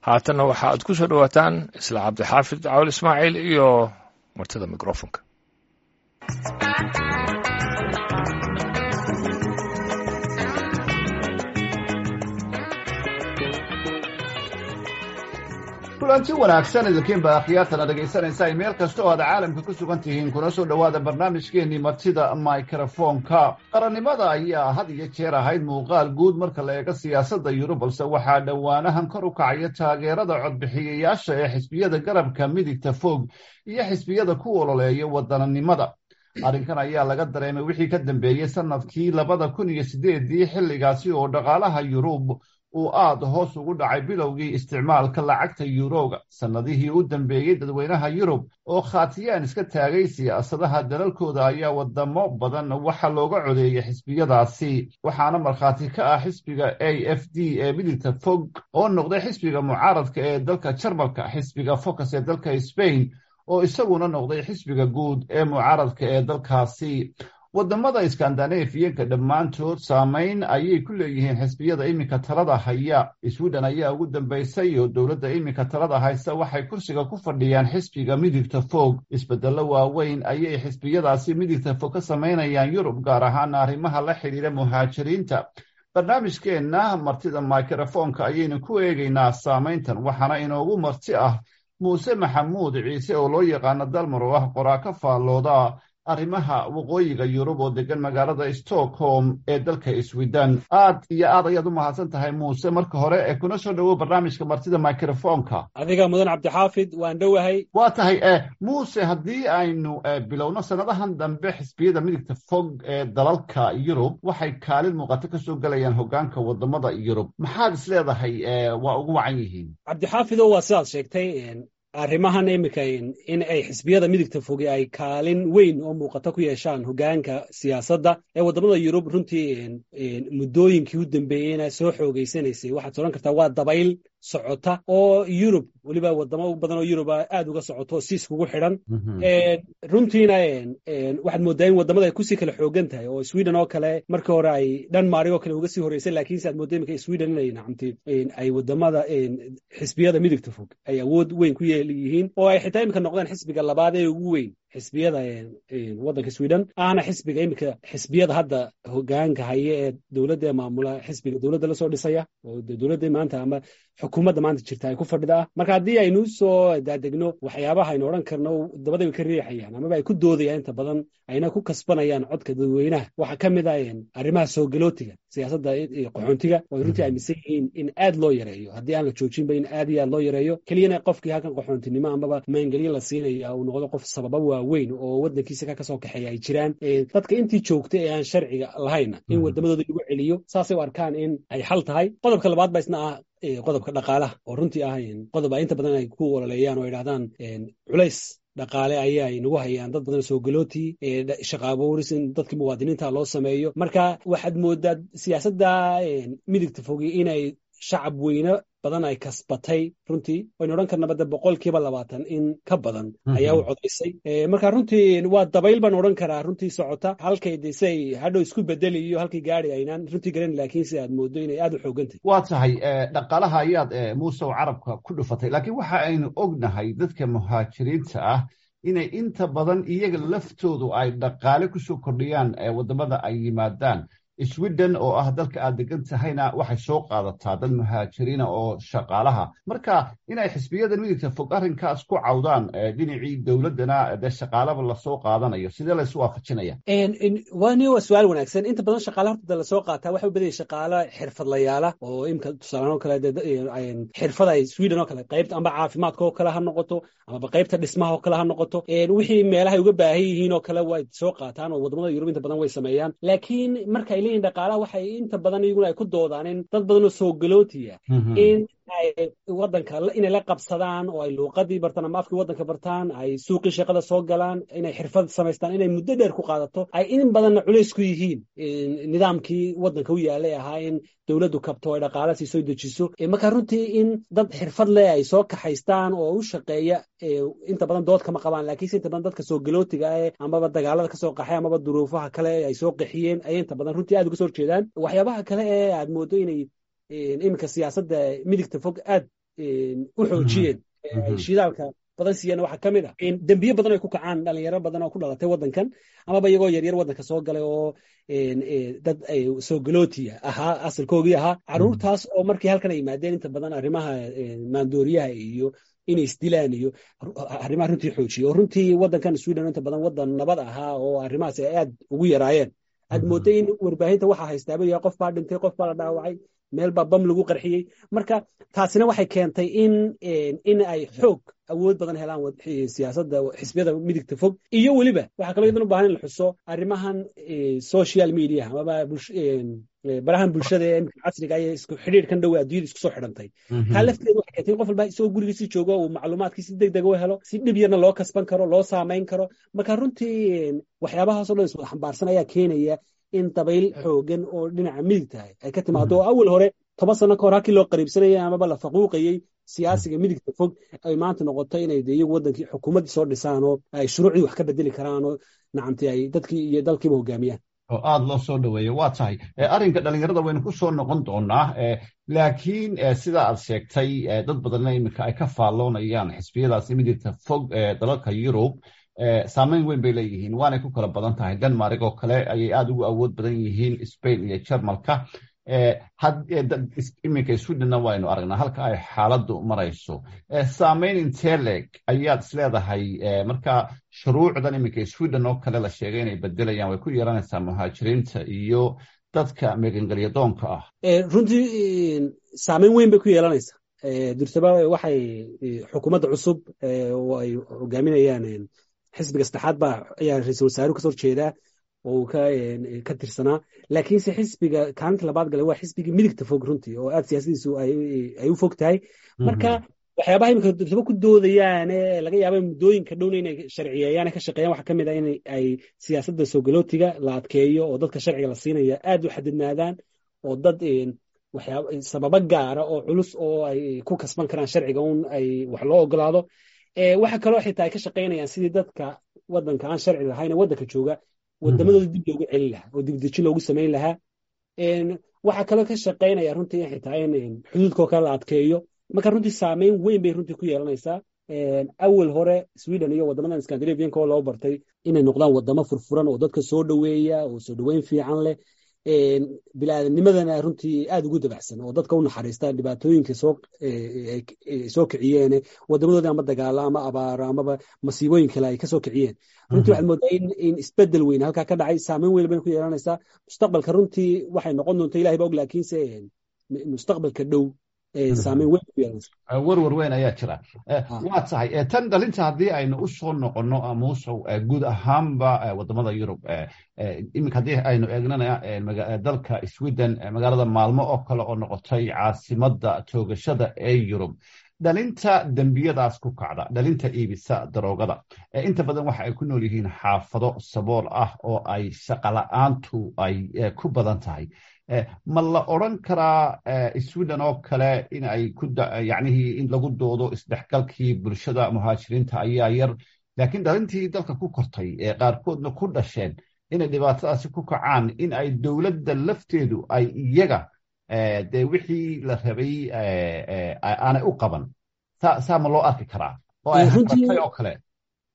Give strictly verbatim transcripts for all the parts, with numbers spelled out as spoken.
Haatanna waxa aad ku soo dhowaataan isla Cabdixaafid Cawal Ismaaciil iyo martida mikrofonka. Kulanti wanaagsan idinkiinba akhyaartan ad dhegaysanaysaa meel kasta oo aad caalamka ku sugan tihiin, kuna soo dhowaada barnaamijkeennii martida mikrofoonka. Qarannimada ayaa had iyo jeer ahayd muuqaal guud marka la eego siyaasadda Yurub, balse waxaa dhowaanahan kor u kacaya taageerada codbixiyayaasha ee xisbiyada garabka midigta fog iyo xisbiyada ku ololeeya wadananimada. Arrinkan ayaa laga dareemay wixii ka dambeeyey sanadkii labada kun iyo sideedii, xilligaasi oo dhaqaalaha Yurub uu aad hoos ugu dhacay bilowgii isticmaalka lacagta yuroga. Sannadihii u dambeeyey, dadweynaha Yurub oo khaatiyaan iska taagay siyaasadaha dalalkooda ayaa wadamo badan waxa looga codeeyey xisbiyadaasi, waxaana markhaati ka ah xisbiga A F D ee midigta fog oo noqday xisbiga mucaaradka ee dalka Jarmalka, xisbiga Focus ee dalka Spain oo isaguna noqday xisbiga guud ee mucaaradka ee dalkaasi. Wadamada Iskandinafiyanka dhammaantood saamayn ayay ku leeyihiin xisbiyada iminka talada haya. Sweden ayaa ugu dambaysay oo dowladda iminka talada haysa waxay kursiga ku fadhiyaan xisbiga midigta fog. Isbedello waaweyn ayay xisbiyadaasi midigta fog ka samaynayaan Yurub, gaar ahaan arrimaha la xidhiira muhaajiriinta. Barnaamijkeenna martida mikrofoonka ayaynu ku eegaynaa saamayntan, waxaana inoogu marti ah Muuse Maxamuud Ciise oo loo yaqaano Dalmar, oo ah qoraa ka faallooda arrimaha waqooyiga Yurub oo degan magaalada Stockholm ee dalka Sweden. Aad iyo aad ayaad u mahadsan tahay, Muuse, marka hore ee kuna soo dhowow barnaamijka martida mikrofoonka. Adiga mudan, Cabdixaafid, waan dhowahay. Waa tahay, Muuse, haddii aynu bilowno, sanadahan dambe xisbiyada midigta fog ee dalalka Yurub waxay kaalin muuqato kasoo gelayaan hogaanka wadamada Yurub. Maxaad is leedahay waa ugu wacan yihiin? Cabdixaafido, waa sidaad sheegtay. Arrimahan iminka in ay xisbiyada midigta fogi ay kaalin weyn oo muuqato ku yeeshaan hogaanka siyaasadda ee waddamada Yurub runtii muddooyinkii u dambeeyeyna soo xoogeysanaysay, waxaad odhan kartaa waa dabayl socota oo Yurub, weliba wadamo badan oo Yuruba aad uga socoto si iskugu xidhan. Runtiina waxaad mooddaa in waddamada ay kusii kala xoogan tahay, oo Sweden oo kale markii hore ay Denmark oo kale uga sii horeysay, laakiinse aad moodda iminka Sweden inay nacamti ay wadamada xisbiyada midigta fog ay awood weyn ku yeelyihiin, oo ay xitaa iminka noqdeen xisbiga labaad ee ugu weyn xisbiyada waddanka Sweden, ahna xisbiga iminka xisbiyada hadda hogaanka haya ee dowladda ee maamula, xisbiga dowladda lasoo dhisaya oo dowladda maanta ama xukuumadda maanta jirta ay ku fadhida ah. Marka haddii aynu soo daadegno waxyaabaha aynu odhan karno dabada way ka riixayaan amaba ay ku doodayaan inta badan ayna ku kasbanayaan codka dadweynaha, waxaa ka mid ah arrimaha soo galootiga, siyaasadda qaxoontiga, oo ay runtii aaminsan yihiin in aad loo yareeyo, haddii aan la joojinba in aad iyo aad loo yareeyo, keliyana qofkii halkan qaxoontinimo amaba maangelyo la siinaya uu noqdo qof sababa waaweyn oo waddankiisa ka kasoo kaxeeya ay jiraan. Dadka intii joogta ee aan sharciga lahayna in waddamadooda lagu celiyo, saasay u arkaan in ay xal tahay. Qodobka labaad ba isna ah qodobka dhaqaalaha, oo runtii ah qodob ay inta badan ay ku ololeeyaan oo idhahdaan culays dhaqaale ayaa nagu hayaan dad badan soo galooti, shaqa abuuris in dadkii muwaadiniinta loo sameeyo. Marka waxaad moodaa siyaasadda midigta fogi inay shacab weyne badan ay kasbatay runtii, waynu odhan karnaba de boqolkiiba labaatan in ka badan ayaa u codaysay. Marka runtii waa dabayl baan odhan karaa runtii socota, halkay de si ay hadhow isku bedeli iyo halkay gaari aynaan runtii garan, laakiin si aad moodo inay aad u xoogantahy. Waa tahay, dhaqaalaha ayaad, Muuse, carabka ku dhufatay, laakiin waxa aynu ognahay dadka muhaajiriinta ah inay inta badan iyaga laftoodu ay dhaqaale kusoo kordhiyaan wadamada ay yimaadaan. Sweden oo ah dalka aad degan tahayna waxay soo qaadataa dad muhaajiriina oo shaqaalaha. Marka inay xisbiyada midigta fog arrinkaas ku cawdaan, dhinacii dowladdana dee shaqaalaba lasoo qaadanayo, sidee laysu waafajinaya? Wani waa su-aal wanaagsan. Inta badan shaqaala horta lasoo qaataa waxay u badan yahay shaqaala xirfadlayaala, oo imka tusaalaan oo kale xirfad ay Sweden oo kale qaybta amba caafimaadka oo kale ha noqoto amaba qaybta dhismaha oo kale ha noqoto, wixii meelahay uga baahan yihiin oo kale way soo qaataan, oo wadamada Yurub inta badan way sameeyaan. Laakiin marka ay leeyihin dhaqaalaha, waxay inta badan iyaguna ay ku doodaan in dad badan oo soo galootiya in ay waddanka inay la qabsadaan oo ay luuqadii bartaan ama afkii waddanka bartaan, ay suuqii shaqada soo galaan, inay xirfad samaystaan, inay muddo dheer ku qaadato, ay in badanna culays ku yihiin nidaamkii waddanka u yaalay ahaa in dowladdu kabto, ay dhaqaala sii soo dejiso. Marka runtii in dad xirfad leh ay soo kaxaystaan oo u shaqeeya inta badan dood kama qabaan, laakiinse inta badan dadka soo galootiga eh amaba dagaalada kasoo qaxay amaba duruufaha kale ay soo qaxiyeen ayay inta badan runtii aad uga soo horjeedaan. Waxyaabaha kale ee aad moodo inay iminka siyaasadda midigta fog aad u xoojiyeen, ay shidaalka badan siiyeen, waxaa ka mid ah dembiye badan ay ku kacaan dhalinyaro badan oo ku dhalatay waddankan amaba iyagoo yaryar waddanka soo galay oo dad soo galootiya ahaa asalkoogii ahaa. Carruurtaas oo markii halkan ay yimaadeen inta badan arrimaha maandooriyaha iyo inay isdilaan iyo arrimaha runtii xoojiye, oo runtii waddankan Sweden inta badan waddan nabad ahaa oo arrimahaas ay aad ugu yaraayeen, aad moodday in warbaahinta waxaa haystaaba yahay qof baa dhintay, qof baa la dhaawacay, meel baa bam lagu qarxiyey. Marka taasina waxay keentay in in ay xoog awood badan helaan siyaasadda xisbiyada midigta fog. Iyo weliba waxaa kaloo iyadan u baahan in la xuso arrimahan social media amaba barahan bulshada ee imika casriga iyo isku xidhiidhkan dhow adduunyada isku soo xidhantay. Taa lafteedu waxay keentay in qof walba isagoo gurigiisii joogo uu macluumaadkii si deg deg u helo, si dhib yarna loo kasban karo, loo saamayn karo. Marka runtii waxyaabahaasoo dhan iswada xambaarsan ayaa keenaya in dabayl xoogan oo dhinaca midig tahay ay ka timaado, oo awal hore toban sano ka hor halkii loo qariibsanayay amaba la faquuqayey siyaasiga midigta fog ay maanta noqoto inay de iyagu waddankii xukuumaddii soo dhisaan oo ay shuruucdii wax ka bedeli karaan oo nacamti ay dadkii iyo dalkiiba hogaamiyaan. Oo aada loo soo dhaweeyo. Waa tahay, arrinka dhalinyarada waynu ku soo noqon doonaa, laakiin sida aad sheegtay dad badanna iminka ay ka faalloonayaan, xisbiyadaasi midigta fog ee dalalka Yurub saameyn weyn bay leeyihiin, waanay ku kala badan tahay. Denmark oo kale ayay aada ugu awood badan yihiin, Spain iyo Jarmalka. Iminka Swedenna waynu aragnaa halka ay xaaladdu marayso. Saameyn intee leeg ayaad isleedahay marka shuruucdan iminka Sweden oo kale la sheegay inay bedelayaan way ku yeelanaysaa muhaajiriinta iyo dadka megangelyadoonka ah? Runtii saameyn weyn bay ku yeelanaysaa. Dursaba waxay xukuumadda cusub oo ay hogaaminayaan xisbiga saddexaad baa ayaa ra-iisul wasaaruhu kasoo horjeedaa oo uu ka ka tirsanaa, laakiinse xisbiga kaalinta labaad galay waa xisbigii midigta fog runtii oo aad siyaasadiisu ay u fog tahay. Marka waxyaabaha imika dursaba ku doodayaan ee laga yaaba muddooyinka dhowna inay sharciyeeyaan ka shaqeeyaan waxaa ka mid ah in ay siyaasadda soo galootiga la adkeeyo oo dadka sharciga la siinaya aad u xadidnaadaan, oo dad waxyaaba sababo gaara oo culus oo ay ku kasban karaan sharciga un ay wax loo ogolaado. Waxa kaloo xitaa ay ka shaqaynayaan sidii dadka waddanka aan sharci lahayn ee waddanka jooga wadamadooda dib loogu celin lahaa oo dibdeji loogu samayn lahaa. Waxaa kaloo ka shaqaynaya runtii in xitaa in xuduudkoo kale la adkeeyo. Marka runtii saameyn weyn bay runtii ku yeelanaysaa. Awal hore Sweden iyo waddamadan Scandinavianka oo loo bartay inay noqdaan waddamo furfuran oo dadka soo dhoweeya oo soo dhoweyn fiican leh, bilaadannimadana runtii aada ugu dabacsan oo dadka u naxariista dhibaatooyinka soo soo kiciyeen wadamadoodii ama dagaalo ama abaaro amaba masiibooyin kale ay kasoo kiciyeen, runtii waxaad moodaa in in isbedel weyn halkaa ka dhacay. Saameyn weyn bay ku yeelanaysaa mustaqbalka. Runtii waxay noqon doonta Ilahay ba og, laakiinse mustaqbalka dhow saameyn weyn ku yeelanaysa. Warwar weyn ayaa jira. Waa tahay, tan dhalinta haddii aynu u soo noqonno, Muusow, guud ahaanba wadamada Yurub iminka haddii aynu eegnana dalka Sweden, magaalada Maalmo oo kale oo noqotay caasimadda toogashada ee Yurub, dhalinta dembiyadaas ku kacda, dhalinta iibisa daroogada, inta badan waxa ay ku nool yihiin xaafado sabool ah oo ay shaqala-aantu ay ku badan tahay. Ma la odran karaa Sweden oo kale in ay ku yacnihii in lagu doodo isdhexgalkii bulshada muhaajiriinta ayaa yar, laakiin dhalintii dalka ku kortay ee qaarkoodna ku dhasheen inay dhibaatadaasi ku kacaan, in ay dowladda lafteedu ay iyaga dee wixii la rabay aanay u qaban, saa saa ma loo arki karaa oo ay haratay oo kale?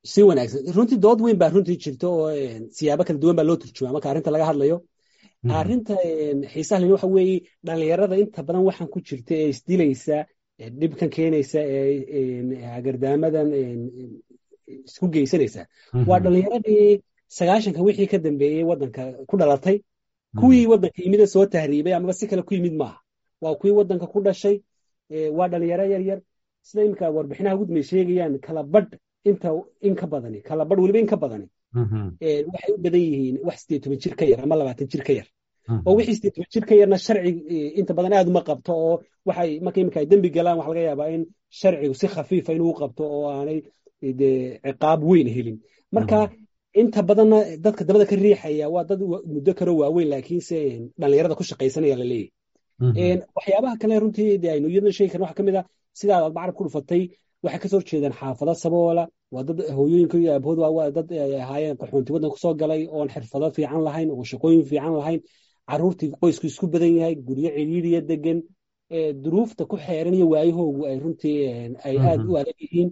Si wanaagsan. Runtii dood weyn baa runtii jirta oo siyaabo kala duwan baa loo turjumaa marka arrinta laga hadlayo. Arrinta xiisaha leh waxa weeye dhalinyarada inta badan waxaan ku jirta ee isdilaysa, dhibkan keenaysa, ee hagardaamadan isku geysanaysa waa dhalinyaradii sagaashanka wixii ka dambeeyey waddanka ku dhalatay. Kuwii waddanka yimid soo tahriibay amaba si kale ku yimid maaha, waa kuwii waddanka ku dhashay, waa dhalinyaro yar yar. Sida iminka warbixinaha ugu dambeey sheegayaan, kala badh inta in ka badani, kala badh weliba in ka badani, waxay u badan yihiin wax sideed toban jir ka yar ama labaatan jir ka yar, oo wixii sideed toban jir ka yarna sharci inta badan aad uma qabto, oo waxay marka iminka ay dembi galaan waxa laga yaabaa in sharcigu si khafiifa inuu qabto oo aanay dee ciqaab weyn helin. Marka inta badanna dadka dabada ka riixaya waa dad muddo karo waaweyn, laakiinse dhalinyarada ku shaqaysanaya la leeyahay. Waxyaabaha kale runtii dee aynu iyadna sheegi karna waxaa ka mid ah sidaa aad carab ku dhufatay, waxay kasoo horjeedaan xaafado saboola, waa dad hooyooyinka iyo aabahood waa dad ay ahaayeen qaxoonti waddanka kusoo galay oon xirfado fiican lahayn, oon shaqooyin fiican lahayn, carruurtii qoysku isku badan yahay, guryo cidhiidhiya degan. Duruufta ku xeeran iyo waayahoogu ay runtii ay aad u adag yihiin.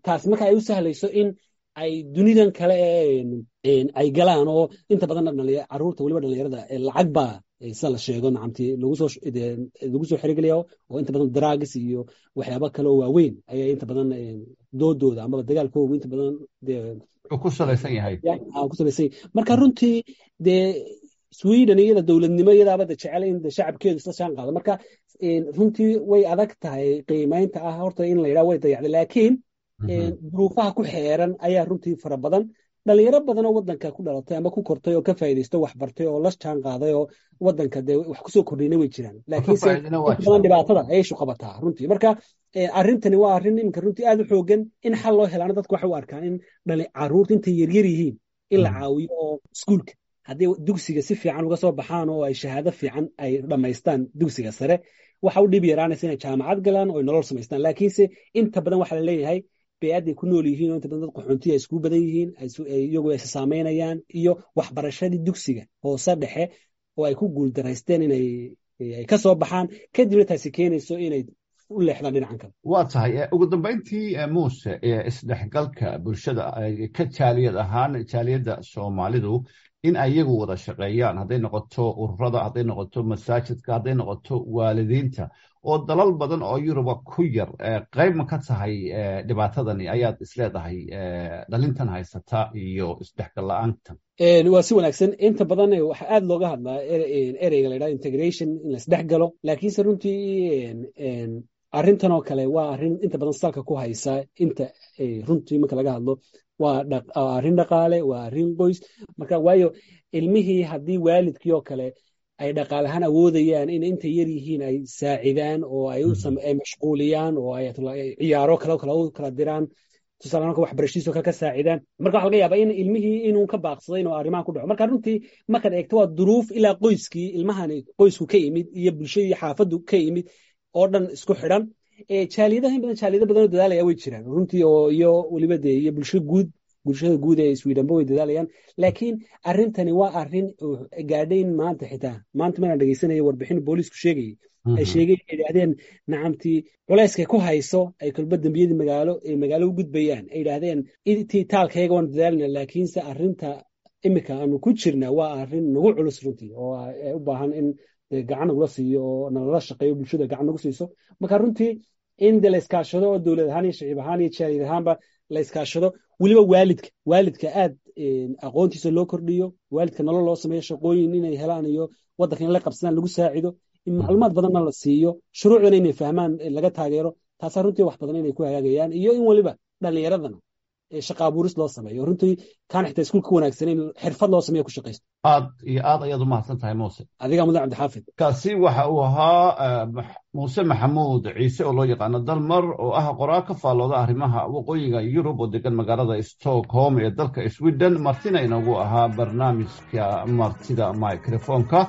Taas marka ay u sahlayso in ay dunidan kale ay galaan, oo inta badan caruurta, weliba dhalinyarada, lacag baa, sida la sheego, nacamtii lagu soo lagu soo xerigelaya, oo inta badan drugs iyo waxyaaba kale oo waaweyn ayaa inta badan doodooda amaba dagaalkoogu inta badan ku salaysan yahay. Ku salaysan yahay. Marka runtii dee Sweden iyada dowladnimo iyadaaba de jecel in shacabkeedu isla jaan qaado. Marka runtii way adag tahay qiimeynta ah horta in la yidhaha way dayacday, laakiin duruufaha ku xeeran ayaa runtii fara badan. Dhalinyaro badan oo wadanka ku dhalatay ama ku kortay oo ka faa'iidaysto, wax bartay oo la jaan qaaday oo wadanka dee wax kusoo kordhiyna way jiraan, laakiinse badan dhibaatada ayay shuqabataa runtii. Marka arrintani waa arrin iminka runtii aad u xoogan in xal loo helaana. Dadku waxay u arkaan in dhali caruurta intay yaryar yihiin in la caawiyo, oo iskuulka haddii dugsiga si fiican uga soo baxaan oo ay shahaado fiican ay dhammaystaan dugsiga sare, waxa u dhib yaraanaysa inay jaamacad galaan oo ay nolol samaystaan. Laakiinse inta badan waxaa la leeyahay bey'adday ku nool yihiin oo inta badan dad qaxoontiya ay iskugu badan yihiin, iyagu ay saameynayaan, iyo waxbarashadii dugsiga hoose dhexe oo ay ku guuldaraysteen inay ay ka soo baxaan, kadibna taasi keenayso inay u leexdaan dhinacan kale. Waa tahay. Ugu dambeyntii, Muuse, isdhexgalka bulshada ka jaaliyad ahaan, jaaliyadda Soomaalidu in ayagu wada shaqeeyaan, hadday noqoto ururada, hadday noqoto masaajidka, hadday noqoto waalidiinta, oo dalal badan oo Yuruba ku yar, qayb ma ka tahay dhibaatadani ayaad isleedahay dhalintan haysata iyo isdhexgal la-aantan? Waa si wanaagsan. Inta badan waxaa aad looga hadlaa ereyga la yidhahdo integration, in la isdhex galo, laakiinse runtii arrintan oo kale waa arrin inta badan salka ku haysa, inta runtii marka laga hadlo, waa arrin dhaqaale, waa arrin qoys. Marka waayo ilmihii haddii waalidkii oo kale ay dhaqaale ahaan awoodayaan in intay yar yihiin ay saacidaan oo ay ay mashquuliyaan oo ay ciyaaro kale kale u kala diraan, tusaale marka waxbarashadiisoo kale ka saacidaan, marka waxa laga yaabaa in ilmihii inuu ka baaqsaday inuu arrimahan ku dhaco. Marka runtii markaad eegto waa duruuf ilaa qoyskii ilmahani qoysku ka yimid iyo bulshadii xaafaddu ka yimid oo dhan isku xidhan. Jaaliyadaha in badan, jaaliyado badan oo dadaalaya way jiraan runtii, oo iyo weliba dee iyo bulsho guud, bulshada guud ee Swedenba way dadaalayaan, laakiin arrintani waa arrin gaadhayn maanta. Xitaa maanta maraan dhegeysanaya warbixin booliisku sheegayay, ay sheegay, ay yidhaahdeen nacamtii culayskay ku hayso ay kolba dembiyadii magaalo ay magaalo u gudbayaan, ay yidhaahdeen intii taalkayaga waan dadaalina, laakiinse arrinta imika aanu ku jirna waa arrin nagu culus runtii oo u baahan in gacan nagula siiyo oo nalala shaqeeyo, bulshada gacan nagu siiso. Marka runtii in de la iskaashado oo dowlad ahaan iyo shicib ahaan iyo jaaliyad ahaanba la iskaashado, weliba waalidka waalidka aad aqoontiisa loo kordhiyo, waalidka nolol loo sameeyo, shaqooyin inay helaan iyo waddanka in la qabsadaan lagu saacido, in macluumaad badanna la siiyo, shuruucdana inay fahmaan laga taageero, taasaa runtii wax badan inay ku hagaagayaan. Iyo in weliba dhallinyaradana shaqa abuuris loo sameeyo runtii, kaan xitaa iskuulka wanaagsaneyn xirfad loo sameeyo ku shaqaysto. Aad iyo aad ayaad u mahadsan tahay, Muuse. Adigaa mudan, Cabdixaafid. Kaasi waxa uu ahaa Muuse Maxamuud Ciise oo loo yaqaano Dalmar, oo ah qoraa ka faallooda arrimaha waqooyiga Yurub oo degan magaalada Stockholm ee dalka Sweden, martina inoogu ahaa barnaamijka Martida Microfonka.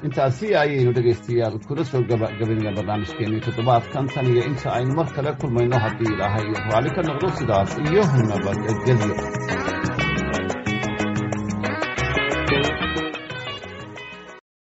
Intaasi ayaynu dhegaystayaal kula soo gabagabaynaya barnaamijkeeni toddobaadkan. Tan iyo inta aynu mar kale kulmayno, haddii Ilaahay raalli ka noqdo, sidaas iyo nabadgelyo.